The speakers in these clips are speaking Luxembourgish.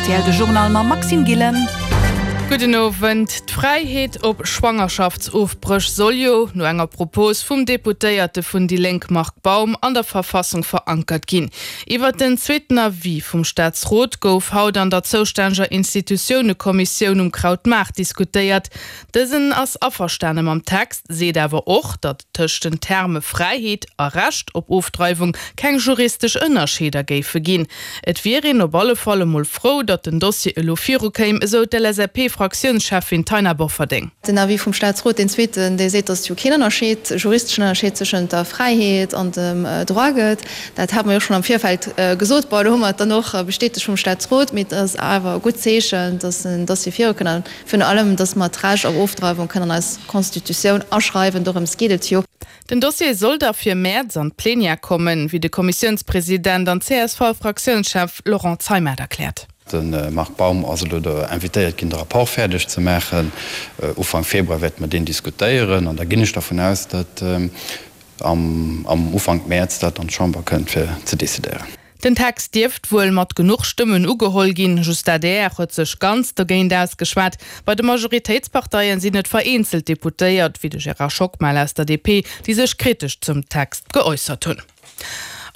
rtl de Journal mam Maxime Gillen. Gudden Owend. D'Fräiheet op Schwangerschaftsofbréch soll jo, no enger Propos vum Deputéierte vun déi Lénk Marc Baum, an der Verfassung verankert ginn. Iwwert den zweeten Avis vum Staatsrot gouf haut an der zoustänneger Institutiounekommissioun um Krautmaart diskutéiert. Dësen ass averstane mam Text, seet awer och, datt tëscht den Terme Fräiheet a Recht op Ofdreiwung keng juristesch Ënnerscheeder géife ginn. Et wier een op alle Fall emol frou, datt den Dossier elo virukéim, esou d'LSAP-Fraktiounscheffin Taina Bofferding. Den Avis vum Staatsrot, deen zweeten, dee seet, datt et jo keen Ënnerscheed, juristeschen Ënnerscheed tëschent der Fräiheet an dem Droit gëtt. Dat hate mer jo schonn am Virfeld gesot. Bon, elo hu mer et dann och bestätegt vum Staatsrot, mee et ass awer e gutt Zeechen, datt den Dossier virukënnt a virun allem, datt mer d'Recht op Ofdreiwung kënnen an eis Constitutioun aschreiwen. Dorëms geet et jo. Den Dossier soll da fir Mäerz an d'Plenière kommen, wéi de Kommissiounspresident an CSV-Fraktiounschef Laurent Zeimet erkläert. De Marc Baum ass elo do invitéiert ginn, de Rapport fäerdeg ze maachen. Ufank Februar wäerte mer deen diskutéieren an da ginn ech dervun aus, datt am Ufank Mäerz dat an d'Chamber kënnt fir ze decidéieren. Den Text dierft wuel mat genuch Stëmmen ugeholl ginn, just d'ADR huet sech ganz dogéint ausgeschwat. Bei de Majoritéitsparteien sinn et vereenzelt Deputéiert, wéi de Gérard Schockmel aus der DP, déi sech kritesch zum Text geäussert hunn.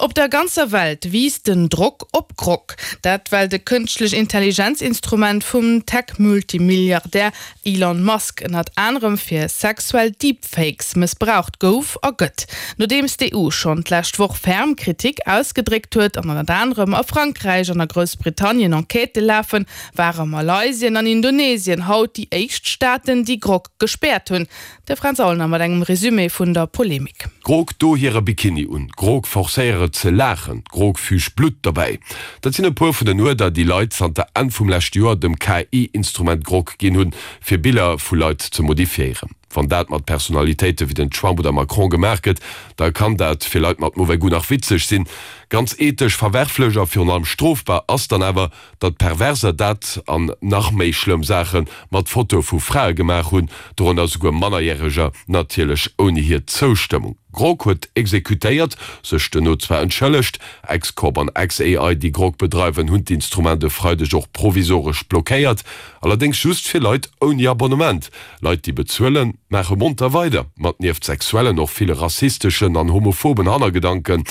Op der ganzer Welt wiisst den Drock op Grok. Dat well de kënschtlech Intelligenz-Instrument vum Tech-Multimilliardär Elon Musk ënnert anerem fir sexuell Deepfakes mëssbraucht gouf a gëtt. Nodeems d'EU schonn d'lescht Woch ferm Kritik ausgedréckt huet an ënnert anerem a Frankräich an a Groussbritannien Enquêtë lafen, ware Malaysien an Indonesien haut déi éischt Staaten, déi Grok gespäert hunn. De Fränz Aulner mat engem Resumé vun der Polemik. Grog, do hire Bikini un. Grog, forcéiere ze laachen. Grog, füg Blutt dobäi. Dat sinn e puer vun den Uerder, déi Leit zanter Enn vum leschte Joer dem KI-Instrument Grok ginn hunn, fir Biller vu Leit ze modifiéieren. Wann dat mat Personalitéite wéi den Trump oder Macron gemaach gëtt, da kann dat fir Leit mat mauvais goût nach witzeg sinn. Ganz ethesch verwerflech a virun allem strofbar ass dann awer, datt Perverser dat an nach méi schlëmm Saache mat Fotoe vu Frae gemaach hunn, dorënner souguer Mannerjäreger, natierlech ouni hir Zoustëmmung. Grok huet exekutéiert, sech duerno zwar entschëllegt. X-Corp an xAI, déi Grok bedreiwen, hunn d'Instrument e Freideg och provisoresch blockéiert, allerdéngs just fir Leit ouni Abonnement. Leit, déi bezuelen, maache monter weider, mat nieft sexuellen och ville rassisteschen an homophoben Hannergedanken,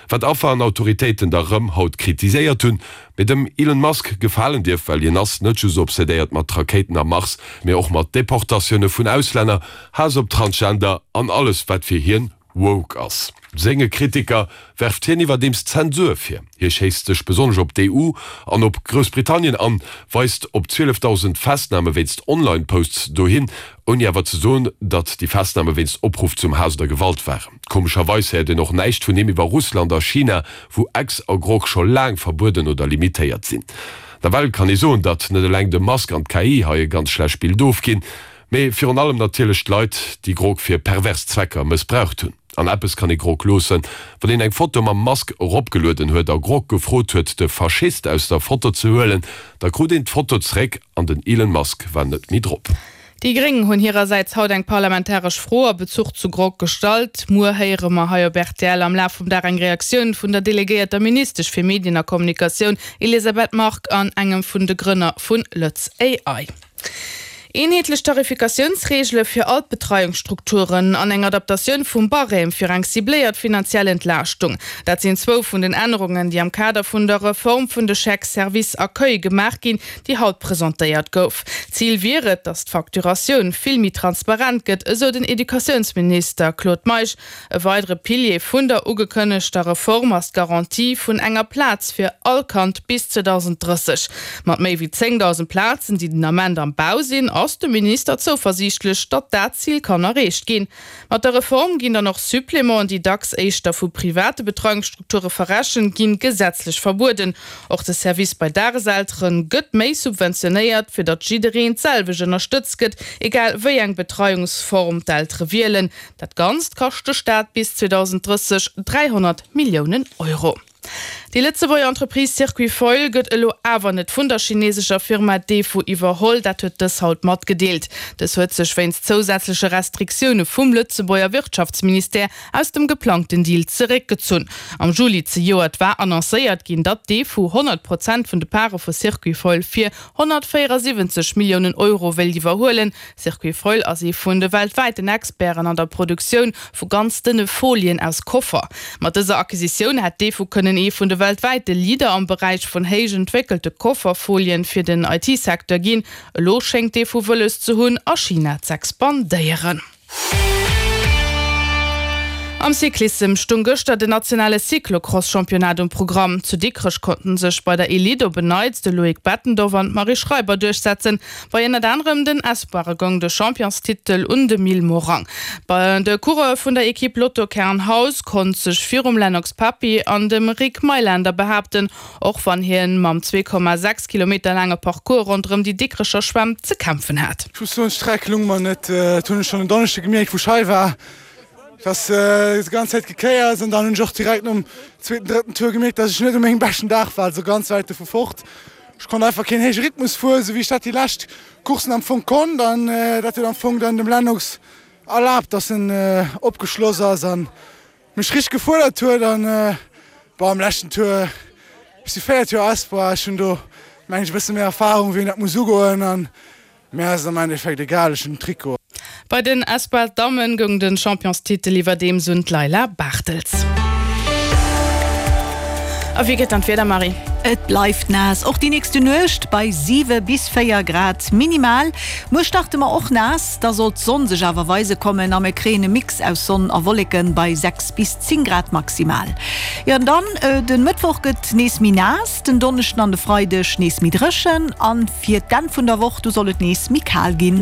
wat Affer an Autoritéiten da rëm haut kritiséiert hunn. Mee dem Elon Musk gefalen dierf, well hien ass net just obsedéiert mat Rakéiten am Mars, mee och mat Deportatioune vun Auslänner, Haass op Transgender an alles wat fir hien woke ass. Senge Kritiker werft hien iwwerdeems Zensur vir. Hie schéisst sech besonnesch op d'EU an op Groussbritannien an, weist op 12.000 Festname wéinst Online-Posts dohin, ouni awer ze soen, datt déi Festname wéinst Opruff zum Haass oder Gewalt waren. Komescherweis héiert een och näischt vun him iwwer Russland a China, wou X a Grok scho laang verbueden oder limitéiert sinn. Nawell kann ee soen, datt net eleng de Musk an d'KI hei e ganz schlecht Bild ofginn, mee virun allem natierlech d'Leit, déi Grok fir pervers Zwecker mëssbraucht hunn. An eppes kann ee Grok loossen, Wann een eng Foto mam Musk eropgelueden huet a Grok gefrot huet, de Faschist aus der Foto ze huelen, da krut een d'Foto zeréck an den Elon Musk war net méi drop. Déi Gréng hunn hirersäits haut eng parlamentaresch Fro a Bezuch zu Grok gestallt. Muer héiere mer hei op rtl am Laf vum Dag eng Reaktioun vun der delegéierter Ministesch fir Medien a Kommunikatioun Elisabeth Margue an engem vun de Grënner vun LëtzAI. Eenheetlech Tarifikatiounsreegele fir all d'Betreiungsstrukturen an eng Adaptatioun vum Barème fir eng cibléiert finanziell Entlaaschtung, dat sinn zwou vun den Ännerungen, déi am Kader vun der Reform vun de Chèques service accueil gemaach ginn, déi haut presentéiert gouf. Zil wier et, datt d'Facturatioun vill méi transparent gëtt, esou den Educatiounsminister Claude Meisch. E weidere Pilier vun der ugekënnegter Reform ass d'Garantie vun enger Plaz fir all Kand bis 2030. Mat méi wéi 10.000 Plazen, déi den Ament am Bau sinn, ass de Minister zouversiichtlech, datt dat Zil kann erreecht ginn. Mat der Reform ginn dann och Supplémenten, déi dacks éischter vu private Betreiungsstrukture verrechent ginn, gesetzlech verbueden. Och de Service bei Dageseltere gëtt méi subventionéiert, fir datt jiddereen d'selwecht ënnerstëtzt gëtt, egal wéi eng Betreiungsform d'Eltere wielen. Dat Ganzt kascht de Staat bis 2030 300 Milliounen Euro. Déi Lëtzebuerger Entreprise Circuit Foil gëtt elo awer net vun der chinesescher Firma Defu iwwerholl, dat huet dës haut matgedeelt. Dës huet sech wéinst zousätzleche Restriktioune vum Lëtzebuerger Wirtschaftsministère aus dem geplangten Deal zeréckgezunn. Am Juli zejoert war annoncéiert ginn, datt Defu 100 Prozent vun de Pare vu Circuit Foil fir 174 Milliounen Euro wéilt iwwerhuelen. Circuit Foil ass ee vun de weltwäiten Experten an der Produktioun vu ganz dënne Folien aus Koffer. Mat dëser Acquisitioun hätt Defu kënnen ee vun de weltwäite Leader am Beräich vun héich entwéckelte Kofferfolien fir den IT-Secteur ginn. Elo schéngt Defu wëlles ze hunn, a China z'expandéieren. Am Cyclissem stung gëschter den nationale Cyclocross-Championnat um Programm. Zu Dikrech konnten sech bei der Elite op en Neits de Loïc Bettendorf an d'Marie Schreiber duerchsetzen. Bei ënnert anerem den Espoire goung de Championstitel un de Mil Morang. De Coureur vun der Ekipp Lotto Kernhaus konnt sech virum Lennox Papi an dem Rick Mailänder behaapten. Och wann hien mam 2,6 Kilometer laange Parcours ronderëm déi Dikrecher Schwämm ze kämpfen hat. Ech muss soen, d'Streck lung mer net. Dat hunn ech schonn en Donneschde gemierkt, wou ech hei war. Et ass déi ganz Zäit gekéiert an dann hunn ech och direkt nom zweeten, drëtten Tour gemierkt, dass ech net u mengem beschten Dag war, also ganz wäit dovu fort. Ech konnt einfach keen héije Rhythmus fueren, esou wéi ech dat déi lescht Courssen am Fong konnt an dat huet am Fong dann dem Lennox erlaabt, dass en opgeschloss ass an mech richteg gefuerdert huet an bon am leschten Tour, ech si 4 Joer Espoir, ech hunn do mengen ech e bësse méi Erfahrung wéi een dat muss ugoen an mir ass et am Endeffekt egal, ech hunn den Trikot. Bei den Espoir Dammen goung den Championstitel iwwerdeems un d'Leila Bartels. A wéi gëtt dann d'Wieder, Marie? Et bleift naass, och déi nächste Nuecht bei 7 bis 4 Grad minimal. Muer starte mer och naass, da sollt d'Sonn sech awer weise kommen a mir kréien e Mix aus Sonn a Wolleken bei 6 bis 10 Grad maximal. Jo an dann de Mëttwoch gëtt nees méi naass, den Donneschden an de Freideg nees méi dréchen an fir d'Enn vun der Woch, du soll et nees méi kal ginn.